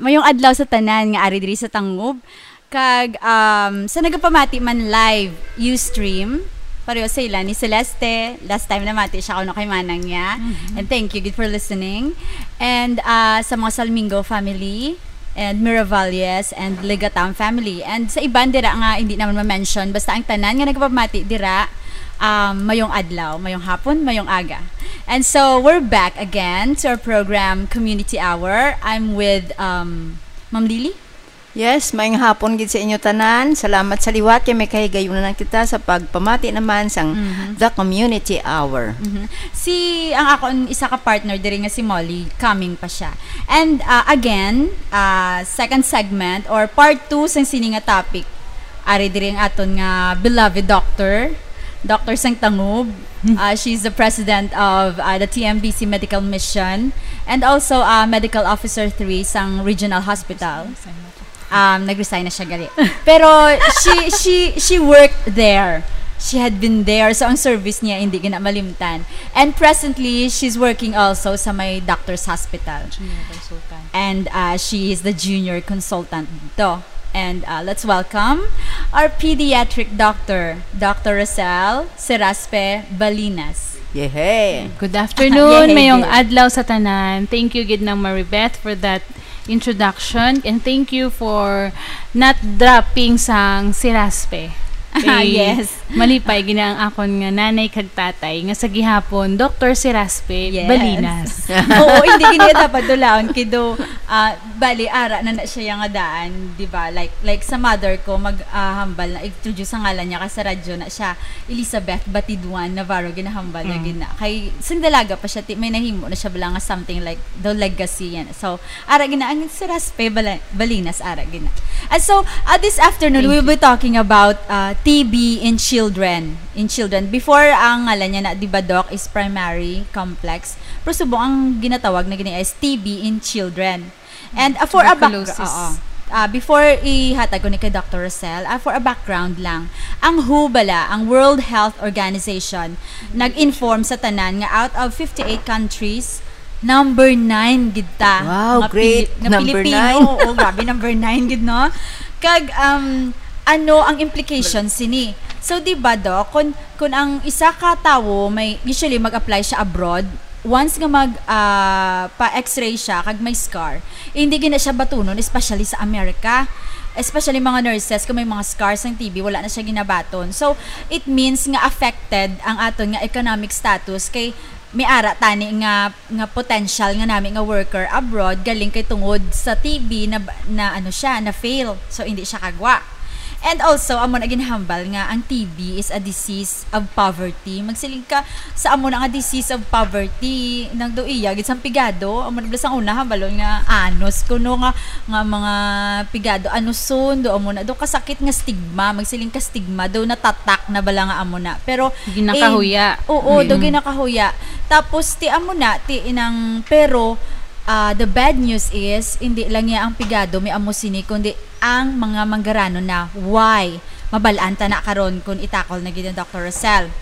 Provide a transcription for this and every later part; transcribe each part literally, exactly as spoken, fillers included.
Mayong adlaw sa tanan nga ari diri sa Tangub. Kag, um, sa nagapamati man live, Ustream, pareho sa ila ni Celeste. Last time namati siya kuno kay manang niya. Mhm. And thank you gid for listening. And, uh, sa mga Salmingo family, and Miravalles, and Legatam family. And sa iban dira nga hindi naman ma-mention, basta ang tanan nga nagapamati dira, um, mayong adlaw, mayong hapon, mayong aga. And so, we're back again to our program, Community Hour. I'm with, um, Ma'am Lily. Yes, maayong hapon gid sa inyo tanan. Salamat sa liwat kay may kahigayunan na kita sa pagpamati naman sang Mhm. The Community Hour. Mhm. Si, ang akon isa ka partner diri nga si Molly, coming pa siya. And, uh, again, uh, second segment or part two sang sini nga topic. Ari diri ang aton nga beloved doctor, Doctor Sang Tangub. Uh, she's the president of, uh, the T M B C Medical Mission and also, uh, Medical Officer three sang Regional Hospital. Um, nag-resign na siya gali. Pero she, she, she worked there. She had been there. So, ang service niya, hindi gina malimtan. And presently, she's working also sa may doctor's hospital. Junior consultant. And, uh, she is the junior consultant dito. And, uh, let's welcome our pediatric doctor, Doctor Rosel Seraspe Balinas. Yehey! Good afternoon, Yehey, mayong yehey. Adlaw sa tanan. Thank you gid, Nang Maribeth, for that introduction, and thank you for not dropping sang Seraspe. Ah, Eh, yes. Malipay gina ang akon nga nanay kag tatay nga sa gihapon, Doctor Seraspe Yes. Balinas. Oo, hindi gid niya dapat dulaon, kido, ah, bali, ara na na siya nga daan, di ba? Like, like sa mother ko, mag, ah, hambal na, introduce sa ngalan niya, kasi sa radyo na siya, Elizabeth Batiduan Navarro, ginahambal na Mm. gid na. Kay, sing dalaga pa siya, ti, may nahimo na siya bala nga something like the legacy, yan. So, ara gina ang Seraspe Bala-, Balinas, ara gina. And so, uh, this afternoon, Thank we'll you. be talking about, uh, T B in children. In children. Before, ang ngalan niya na, di ba, Doc, is primary complex. Pero subong ang ginatawag na gini is T B in children. And, uh, for a back-, Tuberculosis. Oo. Uh, before ihatag ko ni kay Doctor Rosel, uh, for a background lang, ang W H O bala, ang World Health Organization, nag-inform sa tanan nga out of fifty-eight countries, number nine gid ta Wow, nga great. Pili-, nga Number Pilipino. nine. Oo, grabe, number nine gid, no? Kag, um, ano ang implication sini? So, di ba, Doc, kung, kung ang isa ka tawo may, usually mag-apply siya abroad, once nga mag, ah, pa-X-ray siya, kag may scar, hindi gina siya batunon, especially sa America. Especially mga nurses, kung may mga scars ang T B, wala na siya ginabaton. So, it means nga affected ang aton nga economic status kay may ara tani nga, nga potential nga nami nga worker abroad, galing kay tungod sa T B na, na ano siya, na fail. So, hindi siya kagwa. And also, amo na ginhambal nga ang T B is a disease of poverty. Magsiling ka, sa amo na nga disease of poverty, nang do iya, gid sang pigado, amo na sang una, hambalon nga anos, kuno nga, nga mga pigado, anuson, do amo na, do kasakit nga stigma, magsiling ka stigma, do natatak na bala nga amo na. Pero, Ginakahuya. eh, oo, do Mm. ginakahuya. Tapos, ti amo na, ti inang, pero, ah, the bad news is, hindi lang niya ang pigado, may amo sini, kundi ang mga manggaranon na. Why? Mabal-an ta na karon kung itakol na gid ni Doctor Rosel.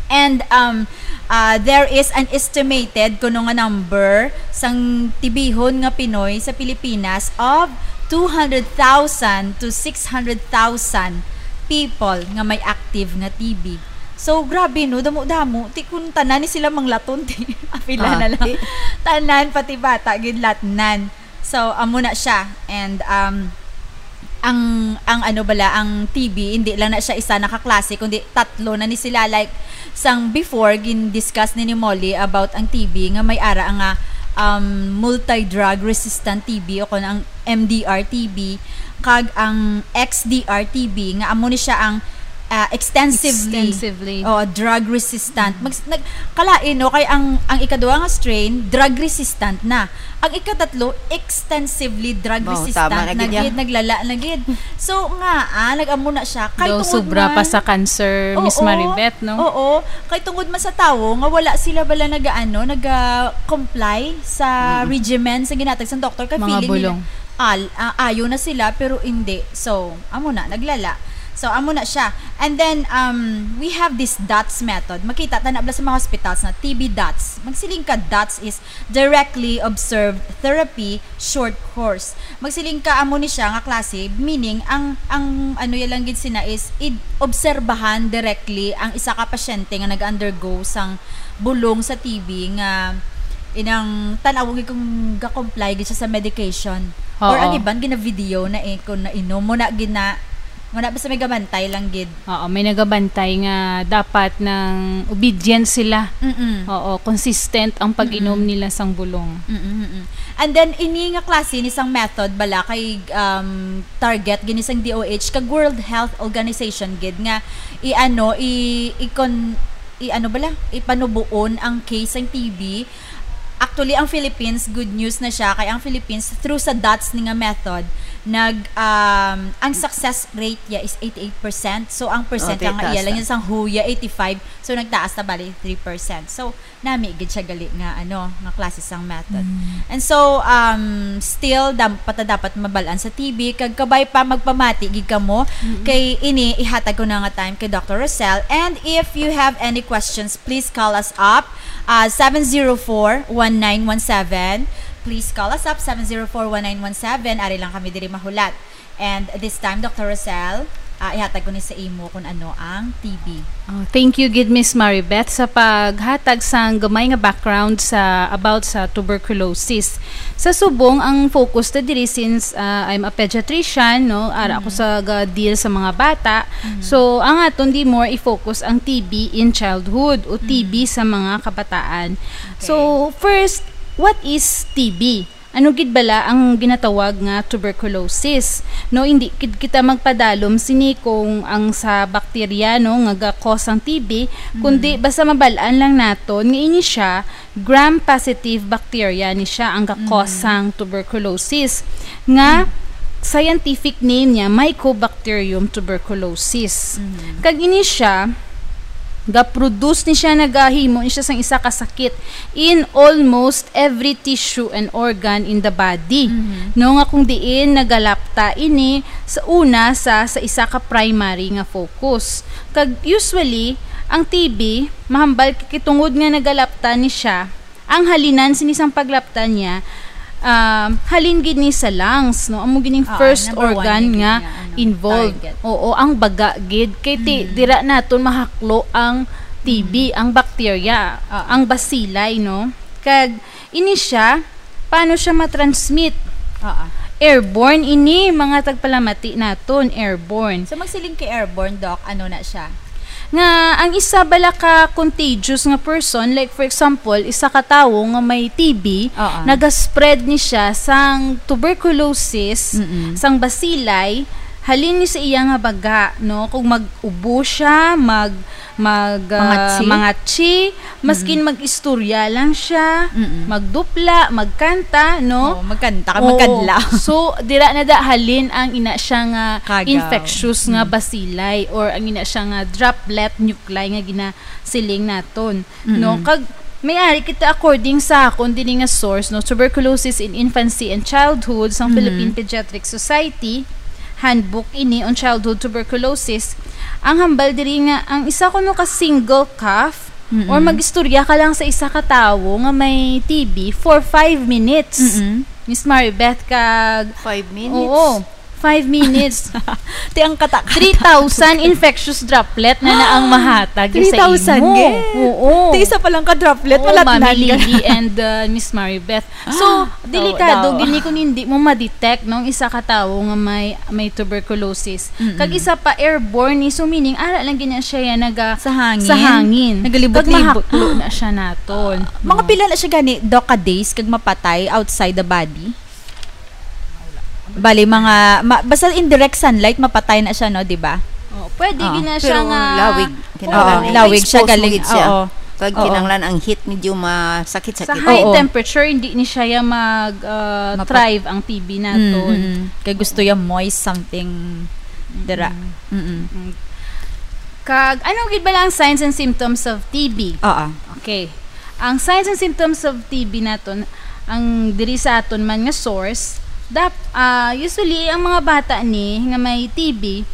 And, um, uh, there is an estimated kuno nga number sang tibihon nga Pinoy sa Pilipinas of two hundred thousand to six hundred thousand people nga may active nga T B. So, grabe, no? Damo-damo. Ti kung tanan ni sila manglaton, ti apila Ah, na lang. ti- Tanan, pati bata, gid latnan. So, amo na siya. And, um, ang, ang ano bala, ang T B, hindi lang na siya isa na ka klase, kundi tatlo na ni sila. Like, sang before, gin-discuss ni, ni Molly about ang T B, nga may ara nga, um, multi-drug resistant T B o kung ang M D R T B, kag ang X D R T B, nga amo ni siya ang, ah, extensively, Extensively. oh, drug resistant. Mag-, nag-, kalain, no? Kay ang, ang ikaduha nga strain, drug resistant na. Ang ikatatlo, extensively drug Mao, resistant tama na na gid, ya. gid, naglala na gid. So, nga, ah, nag-amo na siya. Kay Daw tungod sobra man pa sa cancer, Miss Oo, Maribeth, no? oo. Kay tungod man sa tawo nga wala sila bala nag-, ano, nag-, ah, comply sa Mm. regimen sa ginatag sa doktor, kay Mga feeling nila, bulong. al-, ah, ayo na sila, pero hindi. So, amo na, naglala. So, amo na siya. And then, um, we have this DOTS method. Makita ta na bala sa mga hospitals na T B DOTS. Magsiling ka, DOTS is directly observed therapy short course. Magsiling ka, amo ni siya nga klase, meaning, ang, ang ano ya lang gid sina is, id-, obserbahan directly ang isa ka pasyente nga nag-undergo sang bulong sa T B nga inang tan-aw gid kung ga-comply gid siya sa medication. Or Oo. Ang iban, gina-video na eh, kung nainom mo na, gina-, mo na basta may gabantay lang gid. Oo, may nagabantay nga dapat nang obedient sila. Mm-mm. Oo, consistent ang pag-inom Mm-mm. nila sang bulong. Mm-mm, mm-mm. And then, ini nga klase ni sang method bala kay, um, target gini sang D O H kag World Health Organization gid nga i-ano, i-, i-con-, i-ano bala, ipanubuon ang case sang T B. Actually, ang Philippines, good news na siya, kay ang Philippines, through sa DOTS ni nga method, nag, um, ang success rate niya is eighty-eight percent. So, ang percent Oh, nga taas iya lang na. Yun sang huya, eighty-five. So, nagtaas na bali three percent. So, nami gid siya gali nga, ano, nga klase sang method. Mm. And so, um, still, dam-, pata dapat mabalaan sa T B, kag kabay pa magpamati gid kamo, Mm-mm. kay ini, ihatag ko na nga time kay Doctor Rosel. And if you have any questions, please call us up, uh, seven zero four, one nine one seven. Please call us up, seven zero four, one nine one seven. Ari lang kami diri mahulat. And this time, Doctor Rosel, ah, ihatag ko ni sa imo kung ano ang T B. Oh, thank you gid, Miss Maribeth, sa paghatag sang gamay nga background sa, about sa tuberculosis. Sa subong, ang focus ta diri since, ah, I'm a pediatrician, no, ara ako Mm. sa ga-deal sa mga bata. Mm. So, ang aton di more i-focus ang T B in childhood o T B Mm. sa mga kabataan. Okay. So, first, what is T B? Ano gid bala ang ginatawag nga tuberculosis? No, hindi gid kita magpadalom sini kung ang sa bakterya, no, nga ga-cause ang T B, kundi Mhm. basta mabal-an lang naton nga ini siya gram-positive bacteria ni siya ang ga-cause Mhm. sang tuberculosis, nga Mhm. scientific name niya Mycobacterium tuberculosis. Mhm. Kag ini siya ga-produce ni siya, nagahimo ni siya sang isa ka sakit in almost every tissue and organ in the body. Mhm. No, nga kung diin nagalapta ini sa una sa, sa isa ka primary nga focus. Kag usually, ang T B, mahambal kay tungod nga nagalapta ni siya, ang halinan sini sang paglapta niya, um, halin gid ni sa lungs, no? Amo gid ning Oo, first number one organ gid nga niya, ano, involved. Target. Oo, ang baga gid. Kay ti-, Mm. dira naton mahaklo ang T B, Mm. ang bakterya, Oo. ang bacilli, no? Kag ini siya, paano siya ma-transmit? Oo. Airborne ini, mga tagpalamati naton, airborne. So, magsiling kay airborne, Doc, ano na siya? Nga ang isa bala ka contagious nga person, like, for example, isa ka tawo nga may T B, Oo. naga-spread ni siya sang tuberculosis, Mm-mm. sang bacilli, halin ni sa iya nga baga, no? Kung mag-ubo siya, mag, mag, ah, Mangatsi? mangatsi, maskin Mm. mag-istorya lang siya, Mm-mm. magdupla, magkanta, no? Oo, magkanta ka, Oo. magkadlaw. So, dira na da halin ang ina siya nga Kagaw. infectious nga Mm. bacilli or ang ina siya nga droplet nuclei nga ginasiling naton, no? Mm-mm. Kag may ari kita according sa akon dini nga source, no, Tuberculosis in Infancy and Childhood sang Mm-hmm. Philippine Pediatric Society, handbook ini on childhood tuberculosis. Ang hambal diri nga ang isa kuno ka single cough Mm-mm. or mag-istorya ka lang sa isa ka tawo nga may T B for five minutes. Mm-mm. Miss Maribeth, kag Five minutes? Oo. Five minutes. Ti ang katak-katak. Three thousand infectious droplet na na ang mahatag sa Three thousand imo. gid? Oo. Ti isa pa lang ka droplet, Oo, malatnan Mami ka. Lily and, uh, Miss Maribeth. So, Ah, delikado daw, daw. gini kung hindi mo ma-detect, no, ang isa ka tawo nga may, may tuberculosis. Mm-mm. Kag isa pa, airborne ni, so meaning, ara lang gina siya yan, naga-, Sa hangin? sa hangin. Nagalibot-libot Kag mahaklo na. na siya naton. Ah, mga No. pila na siya gani, Doc, ka days kag mapatay outside the body? Bali, mga, ma-, basta in direct sunlight, mapatay na siya, no, di ba? Oh, pwede Ah, gina siya pero nga, lawig, oo, kinahanglan lawig siya i-expose mo galing, gid siya. oo. Kag Oo. kinahanglan ang heat medyo masakit-sakit. Sa high Oo. temperature, hindi ni siya ya mag, ah, Mapa- thrive ang T B naton. Mm, mm. Kay gusto ya moist something dira. Mm. Mm-mm. Mm. Kag, ano gid ba lang signs and symptoms of T B? Oo. Okay. Ang signs and symptoms of T B naton, ang diri sa aton man nga source, dap-, ah, usually, ang mga bata ni nga may T B,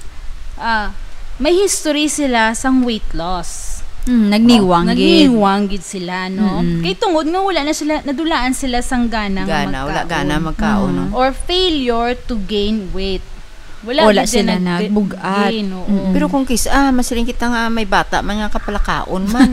Ah, may history sila sang weight loss. Mm, nagniwang Oh, gid. Nagniwang gid sila, no? Mm-mm. Kay tungod nga wala na sila, nadulaan sila sang gana nga Gana, wala magkaon. gana magkaon, Mm. no? Or failure to gain weight. Wala Wala gid sila na nag-, nagbug-at. gain, oo. Mm-mm. Pero kung kis-, ah, masiling kita nga may bata man nga kapalakaon man.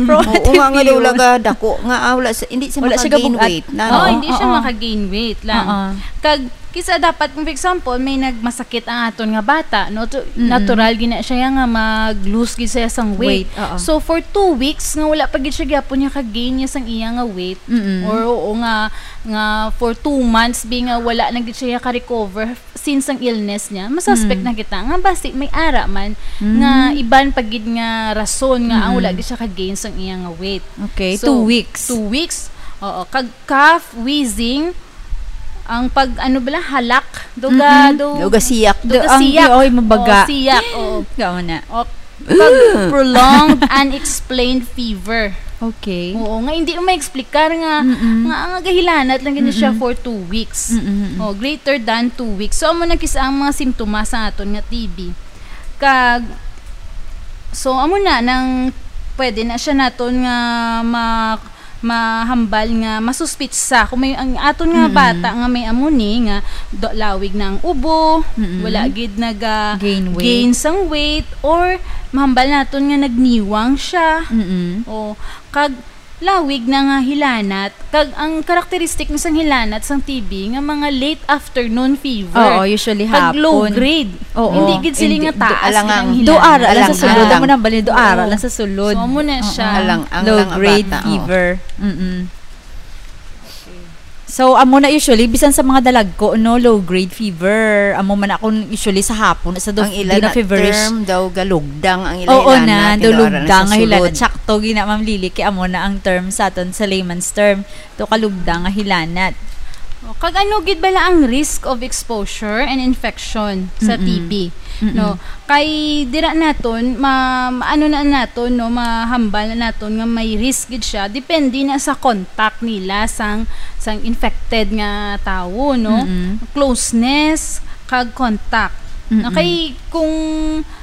Bro, Oo nga, nga daw you? laga dako nga, ah, wala sa, hindi siya Wala siya maka-gain gabug-at. weight na, Oo, no? hindi siya Oo. maka-gain weight lang. Oo. Kag, kisa dapat, kung for example, may nagmasakit ang aton nga bata, no? To, Mm-mm. natural gina siya nga mag-lose gid siya sang weight. Weight, oo. So, for two weeks, nga wala pa gid siya gyapon niya ka-gain niya sang iya nga weight, Mm-mm. or oo nga, nga for two months, bi nga wala na gid siya ka-recover since ang illness niya, masuspect Mm. na kita nga basi may ara man Mm. nga iban pa gid nga rason nga ang wala Mm-mm. gid siya ka-gain sang iya nga weight. Okay, So, two weeks. two weeks. Oo, kag cough, wheezing, ang pag, ano bala, halak, duga, Mm-mm. du-, Duga siyak. Du-, ang, duga siyak. oy, mabaga. Oo, siyak, oo. Gamo na. O, pag prolonged, unexplained fever. Okay. Oo, nga hindi mo ma-explicar nga, Mm-mm. nga, nga gahilanat lang gid siya Mm-mm. for two weeks. Mm-mm, mm-mm. O, greater than two weeks. So, amo na kis-, ang mga simptomas sa aton nga T B. Kag, so, amo na nang pwede na siya naton nga ma-, mahambal nga masuspitsa. Kung may, ang aton nga Mm-mm. bata nga may amo ni, nga do-, lawig na ang ubo, Mm-mm. wala gid naga Gain weight. gain sang weight, or mahambal naton nga nagniwang siya. Mm-mm. O, kag lawig na nga hilanat. Kag ang karakteristik ni sang hilanat sang T B nga mga late afternoon fever. Oo, usually Kag low hapon. grade. Oo. Hindi gid sila Hindi, nga do-, taas alang gid ang ang hilanat. Do ara lang sa Alang sulod. ang Amo na bali, do ara Oo. lang sa sulod. So, amo na Oo. siya. Alang ang Low lang ang grade bata, oo. fever. Mm-mm. So, amo na usually, bisan sa mga dalagko, no, low grade fever. Amo man akon usually sa hapon, sa do-, Ang ila di na na feverish. term daw, galugdang ang ila Oo hilanat, na, daw kay do ara na lugdang sa nga hilanat. sulod. Sakto, gina, Ma'am Lily, kay amo na ang term sa aton sa layman's term. To kalugdang nga hilanat. O, kag ano gid bala ang risk of exposure and infection sa Mm-mm. T B, Mm-mm. no? Kay dira naton, ma-, ano na naton, no, mahambal na naton nga may risk gid siya, depende na sa contact nila sang, sang infected nga tawo, no? Mm-mm. Closeness, kag contact. No, Mm-mm. kay kung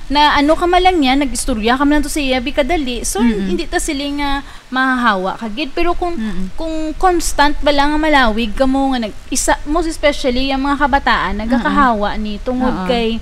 na ano ka man lang niya, nag-istorya ka man lang to sa iya, bi kadali, so, Mm-mm. hindi ta sila nga mahahawa ka gid. Pero kung, Mm-mm. kung constant bala nga malawig kamo nga nag-, isa, most especially ang mga kabataan, Mm-mm. nagkakahawa ni tungod Oo. kay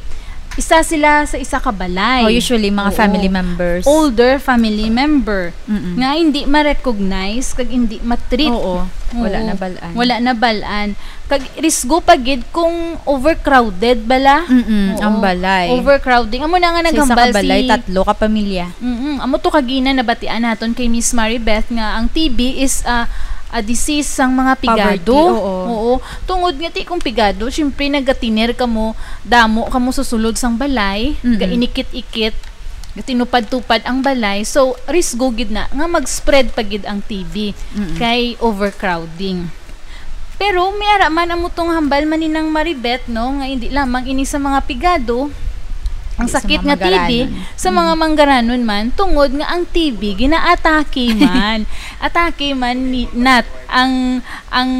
isa sila sa isa ka balay. Oh, usually, mga Oo. family members. Older family member Mm-mm. nga hindi ma-recognize kag hindi ma-treat. Oo. Wala Oo. na bal-an. Wala na bal-an. Kag risgo pa gid kung overcrowded bala. Mm-mm, Oo. ang balay. Overcrowding. Amo na nga Sa isa ka naghambal balay, si tatlo ka pamilya. Mm-mm. Amo to kagina nabatian naton kay Miss Maribeth nga ang T B is, ah, a disease sang mga pigado. Poverty, oo. Oo. Tungod nga ti kung pigado, syempre nagatiner kamo, damo kamo sa sulod sang balay, Mm-mm. gainikit-ikit, gatinupad-tupad ang balay. So, risgo gid na nga mag-spread pa gid ang T B Mm-mm. kay overcrowding. Pero may ara man amo tong hambal man ni Nang Maribeth, no, nga hindi lamang ini sa mga pigado ang Hindi sa sakit mga nga T B, manggaranon. sa mga Mm. manggaranon man, tungod nga ang T B ginaatake man. Atake man ni, nat, ang, ang,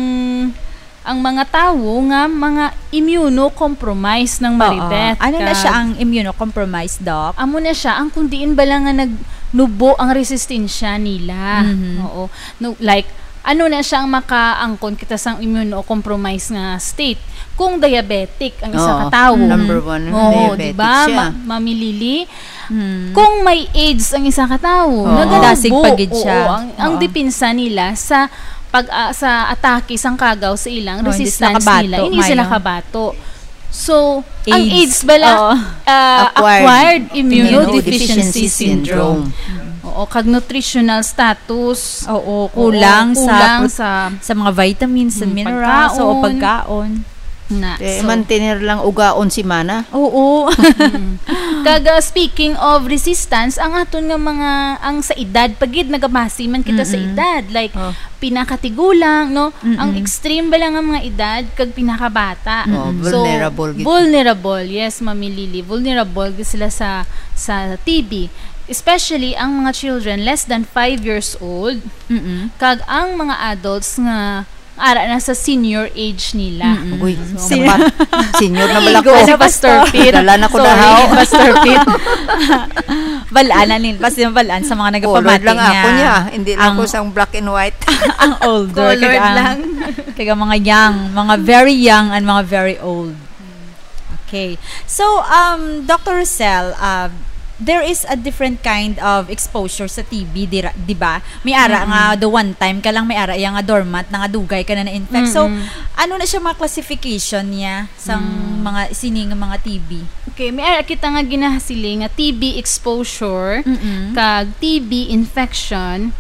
ang mga tawo nga mga immunocompromised, Nang Oo. Maribeth. Ano na Kag siya ang immunocompromised, Doc? Amo na siya, ang kung diin bala nga nagnubo ang resistensya nila. Mhm. Oo. No, like, ano na siya ang makaangkon kita sang immunocompromised nga state? Kung diabetic ang isa Oo, ka tawo. number one, Oo, diabetic di ba? siya. Ma-, Mami Lily, Hmm. kung may AIDS ang isa ka tawo, Oo. naganubo. Dasig pa gid siya. Oo, ang, ang Oo. depensa nila sa pag, ah, sa atake sang kagaw sa ilang Oh, hindi sila resistance kabato, nila, hindi sila mayo. kabato. So, ang AIDS, AIDS bala, oo. ah, Acquired acquired immunodeficiency immunodeficiency syndrome. syndrome. Oo, kag nutritional status. Oo, Oo, kulang sa kulang prot-, sa sa mga vitamins and mm, minerals, oo, pagkaon. pagkaon. Na, Eh, so, mantener lang ugaon si mana. Oo. Mm. Kag, ah, speaking of resistance, ang aton nga mga, ang sa edad, pagid nagabase man kita sa Mm-mm. edad. Like, Oh. pinakatigulang, no? Mm-mm. Ang extreme bala nga mga edad kag pinakabata. Oh, Mm-mm. So, vulnerable gid. vulnerable, yes, Mami Lily. Vulnerable gid sila sa, sa T B. Especially ang mga children less than five years old. Mm-mm. Kag ang mga adults nga ara na sa senior age nila. Mm-mm. Uy, senior na bala ko. Naigo si Pastor Pete. Dala na ko na haw. Pastor Pete. Balaan na nila. Basta yung balaan sa mga nagapamati lang ako niya. Hindi lang ako sang black and white. Ang older. Colored lang. Kaya mga young, mga very young and mga very old. Okay. So, um, Doctor Rosel, uh, there is a different kind of exposure sa T B, di, di ba? May ara mm-hmm. nga the one time ka lang, may ara iya nga dormant na nga dugay ka na na-infect. Mm-hmm. So, ano na siya mga classification niya sa mm. mga sining mga T B? Okay, may ara kita nga ginahasiling nga T B exposure mm-hmm. kag T B infection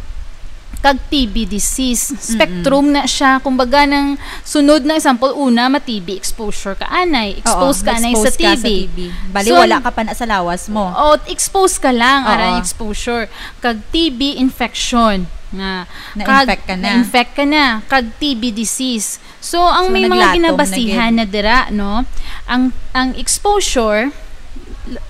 kag T B disease. Spectrum na siya. Kumbaga, nang sunod na example, una, ma-T B exposure ka anay. Expose ka anay sa T B. Bali, wala ka pa na sa lawas mo. O, expose ka lang, aran exposure. Kag T B infection. Nga, na-infect ka na. Na-infect ka na. Kag T B disease. So, ang so, may mga ginabasihan na dira, no? Ang ang exposure,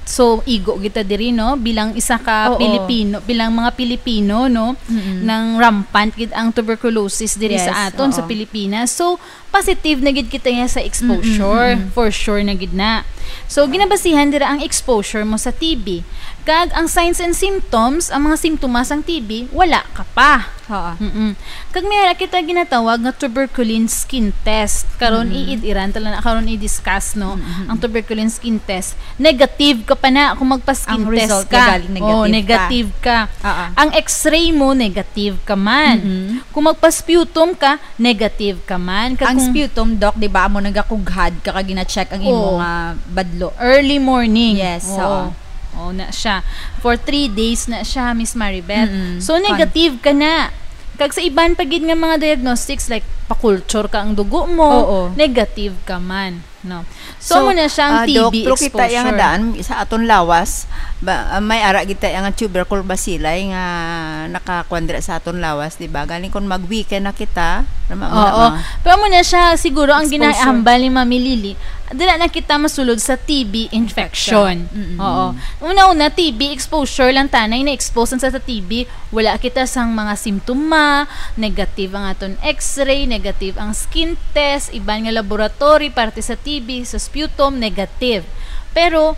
so igo kita diri, no, bilang isa ka Oo. Pilipino, bilang mga Pilipino, no, mm-hmm. nang rampant gid ang tuberculosis diri yes, sa aton oo. Sa Pilipinas. So positive na gid kita niya sa exposure, mm-hmm. for sure na gid na. So ginabasihan dira ang exposure mo sa T B. Kag ang signs and symptoms, ang mga simptomas sang T B, wala ka pa. Oo. Mm-mm. Kag may ara kita ginatawag nga tuberculin skin test. Karon mm-hmm. iid-iran tala na karon i-discuss no mm-hmm. ang tuberculin skin test. Negative ka pa na kung magpa-skin ang test result ka. Galing negative, oh, negative ka. ka. Uh-huh. Ang x-ray mo negative ka man. Mm-hmm. Kung magpa-sputum ka, negative ka man. Kag ang kung... sputum doc, di ba, amo nagakughad ka kag gina-check ang imo oh. nga badlo. Early morning. Yes, oo. Oh, na siya. For three days na siya, Miss Maribeth. Mm-mm. So, negative ka na. Kag sa iban pa gid nga mga diagnostics, like, pa-culture ka ang dugo mo, Oo. negative ka man. No. So, so mo na siya ang uh, T B doc, exposure. Kita yang daan sa aton lawas, ba, uh, may ara kita yang tubercle bacilli nga nakakuan dira sa aton lawas, di ba? Galing kung mag-weekend na kita, Oo. Pero mo na siya siguro ang ginahambal ni Mami Lily. Dira na kita masulod sa T B infection. Mm-mm. Oo. Una-una, T B exposure lang tanay na-expose sa T B. Wala kita sang mga simptoma, negative ang aton x-ray, negative ang skin test, iban nga laboratory parte sa T B, sa sputum, negative. Pero,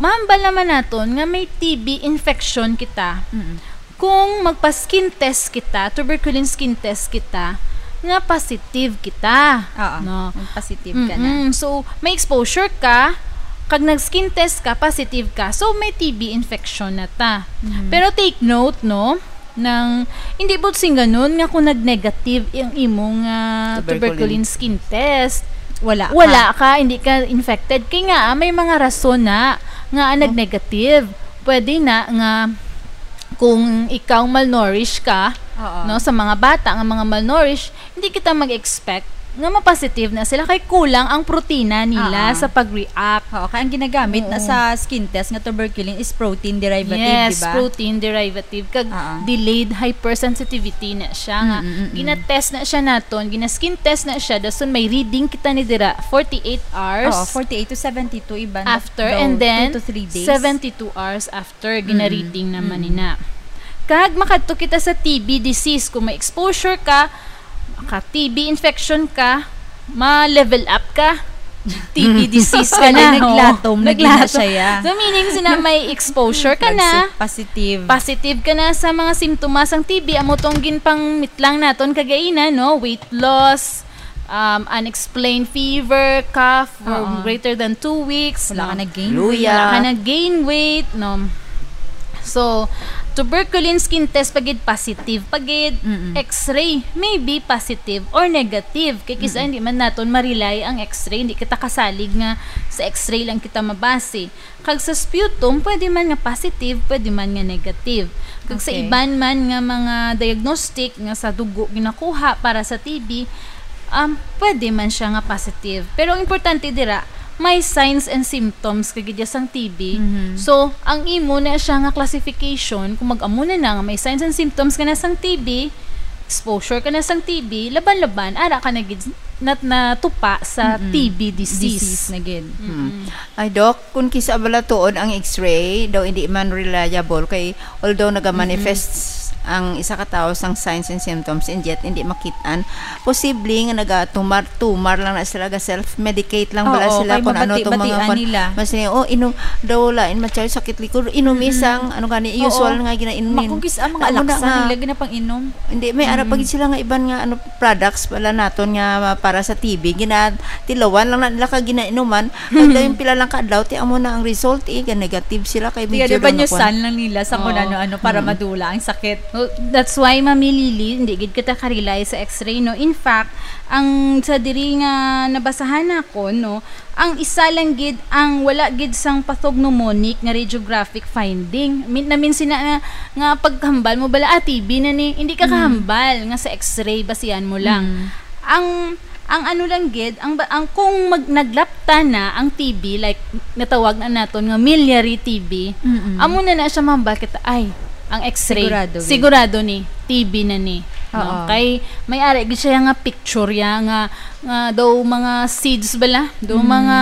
mahambal naman naton nga may T B infection kita. Mm-mm. Kung magpa-skin test kita, tuberculin skin test kita, nga positive kita. Oo, no? Positive ka na. Mm-mm. So, may exposure ka, kag nag-skin test ka, positive ka. So, may T B infection na ta. Mm. Pero take note, no? Nang, hindi buot sing ganun nga kung nag-negative ang imong ah, tuberculin. Tuberculin skin test, Wala ka. wala ka, hindi ka infected. Kaya nga, ah, may mga rason na nga ah, Oh. nag-negative. Pwede na nga kung ikaw malnourished ka, Oo. no, sa mga bata nga mga malnourished, hindi kita mag-expect nga ma-positive na sila kay kulang ang protina nila Oo. sa pag-react. Oo, kaya ang ginagamit na Oo. sa skin test nga tuberculin is protein derivative, Yes, di ba? protein derivative. Kag Oo. delayed hypersensitivity na siya nga Mm, mm, mm. gina-test na siya naton, gina-skin test na siya, dason may reading kita ni dira forty-eight hours Oo, forty-eight to seventy-two iban. After, daw and then two to three days. seventy-two hours after, Mm, gina-reading naman mm. nina. Kag makadto kita sa T B disease. Kung may exposure ka, ka T B infection ka, ma-level up ka. T B disease ka na. Kaya naglatom na gid na Naglatom. siya, ya. So, meaning, sina may exposure ka na. Nagsi-, positive. Positive ka na sa mga simptomas sang T B. Amo tong ginpangmitlang naton kagaina, no? Weight loss, um, unexplained fever, cough for Oo. greater than two weeks, Wala no? ka nag-gain Luya. weight. Wala ka nag-gain weight, no? So, tuberculin skin test pagid positive, pagid Mm-mm. x-ray, maybe positive or negative. Kay kisa Mm-mm. hindi man naton ma-rely ang x-ray, hindi kita kasalig nga sa x-ray lang kita mabase. Kag sa sputum, pwede man nga positive, pwede man nga negative. Kag sa Okay. iban man nga mga diagnostic nga sa dugo ginakuha para sa T B, um, pwede man siya nga positive. Pero ang importante dira, may signs and symptoms kagid ya sang T B. Mhm. So, ang imo na siya nga classification, kung mag-amo na na nga may signs and symptoms ka na sang T B, exposure ka na sang T B, laban-laban, ara ka na gid nat-, natupa sa Mm-mm. T B disease. Disease na gid. Mm-mm. Hmm. Ay, Doc, kung kisa bala tuod ang x-ray, daw hindi man reliable kay although nagamanifest Mm-mm. ang isa ka tawo sang signs and symptoms, and yet hindi makit-an. Posible nga nagatumar-tumar lang na sila, ga self-medicate lang bala Oo, sila kay kung ano tong mga mabati-batian kwan. Nila. Mas ni, "Oh, inom daw, lain man siya, sakit likod, inom Mm-mm. isang, ano gani, Oo. Usual nga ginainom." Makugis ang mga Amo na laksa nga. Nila ginapang-inom. Hindi, may ara pa Mm-mm. gid sila nga iban nga, ano, products pala naton nga para sa T B, ginatilawan lang na nila ka ginainuman. Pag dayon pila lang ka adlaw, ti amo na ang result, eh, ga negative sila kay Tiga medyo de ba daw nyo nakuha. San lang nila sa kung Oo. Ano-ano para Mm. madula ang sakit. Well, that's why, Mami Lily, hindi gid kita ka-rely sa X-ray, no? In fact, ang sa diri nga nabasahan nako, no, ang isa lang gid ang wala gid sang pathognomonic nga radiographic finding. Min-, namin sina nga, nga paghambal mo bala, "Ah, T B na ni." Hindi ka Mm. kahambal nga sa X-ray, basihan mo lang. Mm. Ang, ang ano lang gid, ang ba-, ang kung mag-, naglapta na ang T B, like, natawag na naton nga miliary T B, Mm-mm. amo na na siya mahambal kita, ay, ang X-ray, Sigurado gid. Sigurado ni, T B na ni, no? Oo. Kay may ari gid siya nga picture ya nga, nga daw mga seeds bala, daw Mm. mga,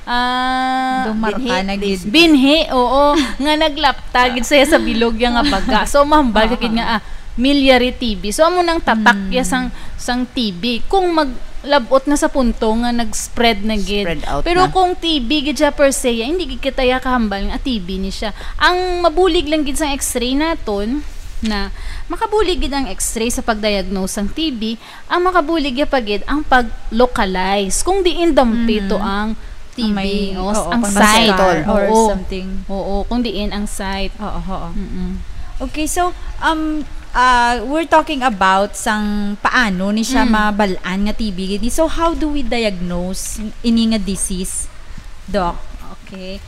ah, Daw marka Binhi, na gid. Binhi, oo, nga naglapta gid siya sa bilog ya nga baga. So, mahambal ka gid Oo. nga, ah, miliary T B. So, amo nang tatak ya Mm. sang, sang T B. Kung maglabot na sa punto nga nag-spread na gid. Spread out Pero na. Kung T B gid siya per se, hindi gid kita ya kahambal nga T B ni siya. Ang mabulig lang gid sang X-ray naton na makabulig gid ang X-ray sa pag-diagnose sang T B, ang makabulig ya pa gid ang pag-localize kung diin dampi Mhm. to ang T B, Ang may, o, oo, ang kung site. Vascular or Oo. Something. Oo, kung diin ang site. Oo, oo. Mm-mm. Okay, so, um, uh, we're talking about sang paano ni siya Mm. mabal-an nga T B gid ni. So, how do we diagnose ini nga disease, Doc? Okay.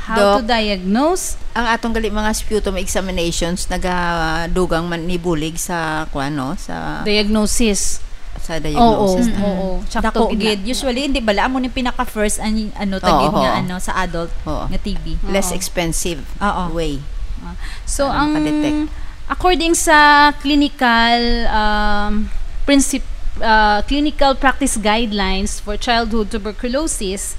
How Doc, to diagnose? Ang atong gali mga sputum examinations nagadugang man ni bulig sa kuan, no, sa Diagnosis. Sa diagnosis Oo, na. Mm-mm. Oo. Sakto Dako gid na. Gid. Usually, hindi bala, amo ni pinaka-first ang, ano, Oo, tagid nga, oo. Ano, sa adult Oo. Nga T B. Less Oo. Expensive Oo. Way. Ah. So, para ang, makadetect. According sa clinical, um, princip-, uh, clinical practice guidelines for childhood tuberculosis,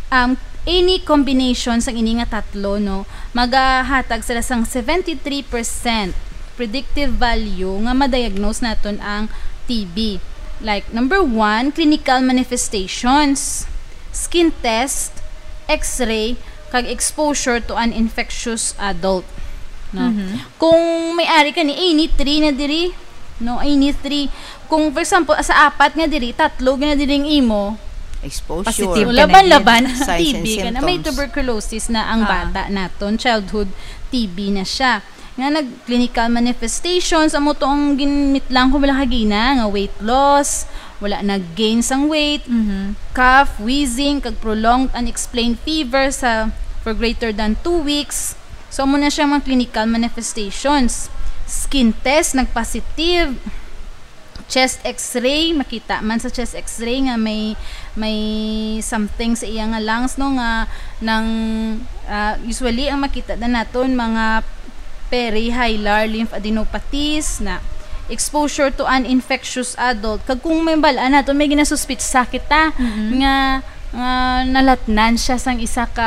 um, any combination sang ini nga tatlo, no, magahatag sila sang seventy-three percent predictive value nga ma-diagnose naton ang T B. Like, number one, clinical manifestations, skin test, X-ray, kag exposure to an infectious adult. No? Mhm. Kung may ari ka ni, eh, ini three na diri, no? Ay, ini three. Kung, for example, sa apat nga diri, tatlo nga diri ang imo. Exposure. Positive ka na Laban-laban, gid. Signs and T B ka na. May symptoms. Tuberculosis na ang Ah. bata naton. Childhood T B na siya. Nga nag-, clinical manifestations, amo to ang ginmitlang ko bala kagina, nga weight loss, wala nag-gain sang weight, Mhm. cough, wheezing, kag prolonged unexplained fever sa, for greater than two weeks. So, amo na siya mga clinical manifestations. Skin test, nag-positive. Chest X-ray, makita man sa chest X-ray nga may, may something sa iya nga lungs, no, nga nang, ah, usually ang makita na naton mga perihilar lymphadenopathies na exposure to an infectious adult. Kag kung may bal-an naton, may ginasuspitsa kita Mm-mm. nga nga nalatnan siya sang isa ka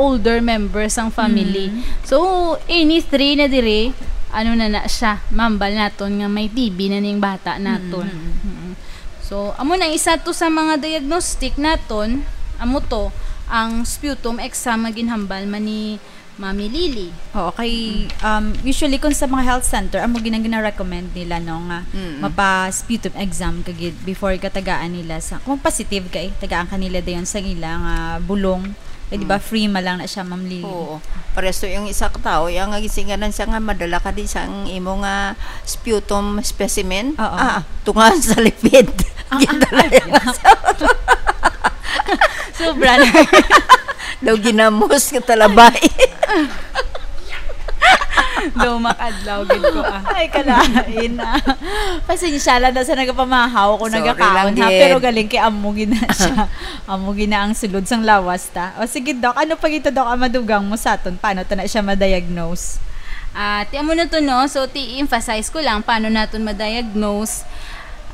older member sang family. Mm. So, any three na diri, ano na na siya, mambal naton nga may T B na ning bata naton. Mm, mm, mm. Mm. So, amo na isa to sa mga diagnostic naton, amo to, ang sputum exam nga ginhambal man ni Mami Lily. Oo, kay, Mm. um, usually kung sa mga health center, amo gina-, gina-recommend nila, no, nga Mm. mapa-sputum exam ka gid before ka tagaan nila sa, kung positive ka, eh, tagaan ka nila dayon sa ila nga bulong. Eh, di ba, Mm. free man lang na siya, Ma'am Lily? Oo. Paresto yung isa ka tao, yung nga gisinganan siya nga madala ka di sa ang imo nga sputum specimen. Oo. Ah, tunga sa lipid. Ang, ang, Gindala ay, yung sobra na. Daw ginamos ka talabay. Daw makadlaw gid ko, ah. Ay, kalain, ah. Pasensya lang na sa nagapamahaw ko, Sorry nagakaon, lang, ha, gid. Pero galing kay amo gina siya. Amo gina ang sulod sang lawas ta. O, sige, Doc. Ano pa gito, Doc, ang madugang mo sa aton? Paano ta na siya ma-diagnose? Ah, ti amo na to, no? So, ti emphasize ko lang, paano naton ma-diagnose?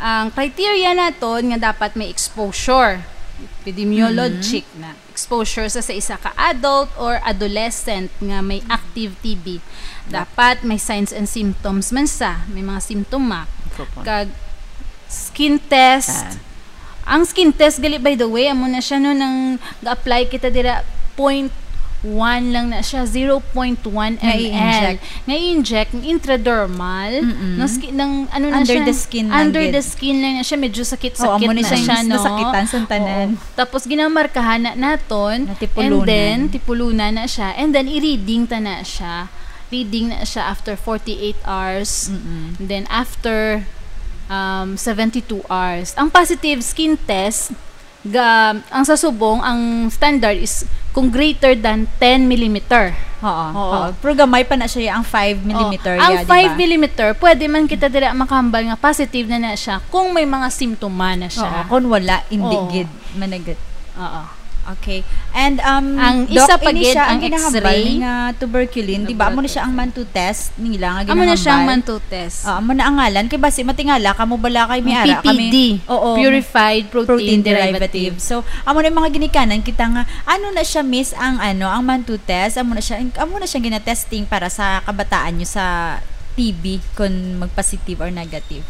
Ang criteria naton nga dapat may exposure. Epidemiologic na exposure sa, sa isa ka adult or adolescent nga may active T B. Dapat may signs and symptoms man sa, may mga simptoma. Opo. Kag skin test. Ah. Ang skin test gali, by the way, amo na siya, no, nang ga-apply kita dira, point one lang na siya, zero point one Nga ml. I-inject. Nga i-inject, intradermal, Mm-mm. no, ski-, nang, ano na Under siya, the skin lang under gid. the skin lang na siya, medyo sakit-sakit Oh, amo na na siya, siya, no? nasakitan sa tanan. Oo. Tapos ginamarkahan na naton, Natipulunan. and then tipulunan na siya, and then i-reading ta na siya. Reading na siya after forty-eight hours, Mm-mm. and then after, um, seventy-two hours. Ang positive skin test, ga, ang sa subong, ang standard is kung greater than ten millimeter. Oo, Oo. oo. Pero gamay pa na siya, ang five millimeter, Oh, ang ya, di ba? five millimeter, pwede man kita dira makahambal nga positive na na siya kung may mga simptoma na siya. Oo, kung wala, hindi Oo. gid, managat. Oo. Okay. And, um, Ang Doc, isa pa ini gid siya ang ang ginahambal X-ray. nga tuberculin, di ba? Amo na siya ang Laboratory. Mantoux test nila nga Amo na siya ang ginahambal. Mantoux test. Ah, amo na ang ngalan. Kay basi matingala, kamo bala kay may Ang ara, kami, P P D, oo, Purified Protein protein Derivative. derivative. So, amo na yung mga ginikanan kita nga, ano na siya, miss, ang, ano, ang Mantoux test? Amo na siya, amo na siya ginatesting para sa kabataan nyo sa T B, kung mag-positive or negative.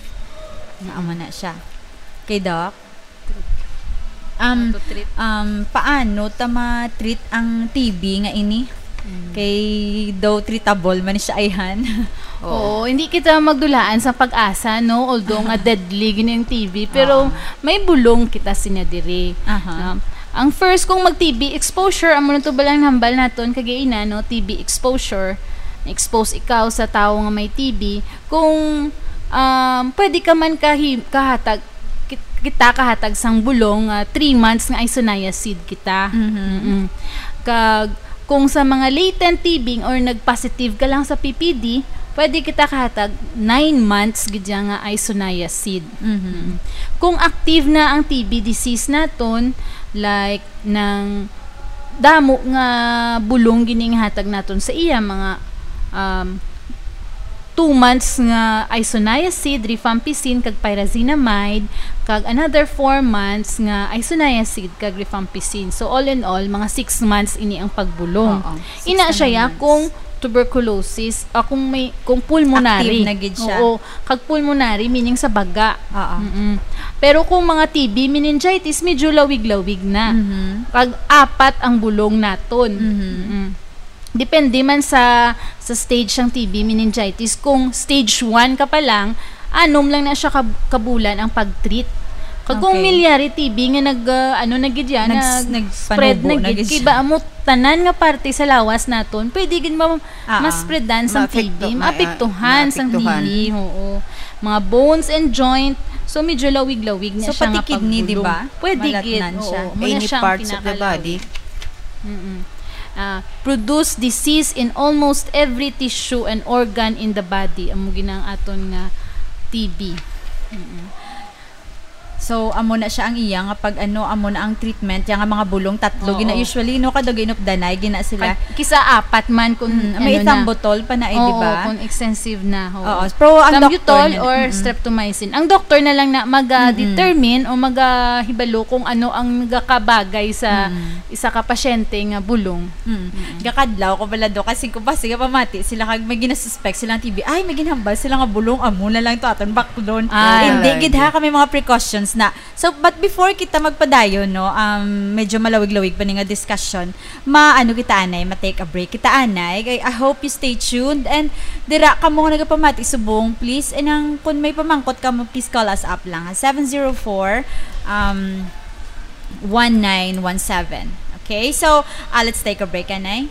Amo na siya. Kay Doc? Um, How to treat? um, paano ta ma-treat ang T B nga ini? Mm. Kay daw treatable man siya, ayhan. Oo. Oo, hindi kita magdulaan sa pag-asa, no? Although nga Aha. deadly gini ang T B, pero Oo. may bulong kita sinya diri. Aha. No? Ang first, kung mag-T B exposure, amo na to balang hambal naton kagaina, no? T B exposure, na-expose ikaw sa tawo nga may T B, kung, um, pwede ka man kahi-, kahatag, kit-, kita kahatag sang bulong nga three months nga isoniazid kita. Mhm. Mm-mm. Kag kung sa mga latent T B or nag-positive ka lang sa P P D, pwede kita kahatag nine months gid siya nga isoniazid. Mhm. Mm. Kung active na ang T B disease naton, like, nang damo nga bulong gini nga hatag naton sa iya, mga, um, two months nga isoniazid, rifampicin, kag pyrazinamide, kag another four months nga isoniazid kag rifampicin. So, all in all, mga six months ini ang pagbulong. Oo, six Ina to siya nine ya months. kung tuberculosis, ah, kung may, kung pulmonary. Active na gid siya. Oo, kag pulmonary, meaning sa baga. Oo. Mm-mm. Pero kung mga T B, meningitis, medyo lawig-lawig na. Mhm. Kag apat ang bulong naton. Mhm. Mm-mm. Depende man sa, sa stage sang T B meningitis. Kung stage one ka pa lang, anom lang na siya ka, ka bulan ang pag-treat. Kag kung Okay. miliary T B nga nag, ah, ano na gid yan, Nags-, nag-spread nagpanubo na na gid, gid kay siya. ba amo tanan nga parte sa lawas naton, pwede gid ma-, Ah, ah. ma-spreadan sang Maapekto-, T B, ma-, maapektuhan sang maapektuhan. T B, oo. Mga bones and joint, so medyo lawig-lawig na So, siya pati nga kidney, di pagbulong. ba? Pwede gid, Malatnan siya. oo. Muna Any siyang parts of the pinakalawig. body. Mm-mm. Ah, produce disease in almost every tissue and organ in the body. Amo gid ang aton nga T B. Mm-mm. So, amo na siya ang iya nga pag, ano, amo na ang treatment, yang nga mga bulong tatlo, Oo. gina-, usually, no, kada ginupdanay, gina sila. Kag, kisa apat man kung, Mm, may ano na. ethambutol pa na, eh, di Oo, ba? kung extensive na, oo. Oo, pero ang Thambutol doctor na, or mm. streptomycin. Ang doktor na lang na maga-determine Mm-mm. o maga-hibalo kung ano ang nagakabagay sa Mm. isa ka pasyente nga bulong. Mm. Mm. Gakadlaw ko pala do, kasi kung basi nga pamati sila kag may ginasuspect silang T B, ay, may ginhambal sila nga bulong, amo na lang to aton baklon. Ah. Hindi Ay, gid ha, di. kami mga precautions na. So, but before kita magpadayon, no, um, medyo malawig-lawig pa ni nga discussion, ma-, ano kita, anay, ma-take a break kita, anay. I, I hope you stay tuned. And dira, kamo nga nagapamati subong, please, and ang, kung may pamangkot kamo, please call us up lang, ha, seven zero four, um, one nine one seven. Okay? So, ah, let's take a break, anay.